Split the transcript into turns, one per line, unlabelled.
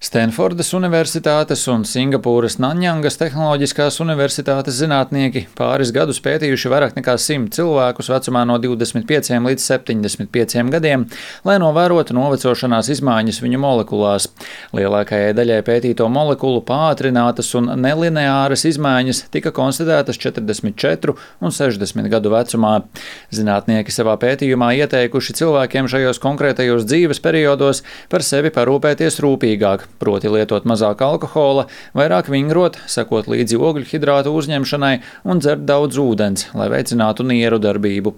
Stenfordas Universitātes un Singapūras Nanjangas Tehnoloģiskās Universitātes zinātnieki pāris gadus pētījuši vairāk nekā 100 cilvēkus vecumā no 25 līdz 75 gadiem, lai novērotu novecošanās izmaiņas viņu molekulās. Lielākajai daļai pētīto molekulu pātrinātas un nelineāras izmaiņas tika konstatētas 44 un 60 gadu vecumā. Zinātnieki savā pētījumā ieteikuši cilvēkiem šajos konkrētajos dzīves periodos par sevi parūpēties rūpīgāk. Proti lietot mazāk alkohola, vairāk vingrot, sekot līdzi ogļhidrātu uzņemšanai un dzert daudz ūdens, lai veicinātu nieru darbību.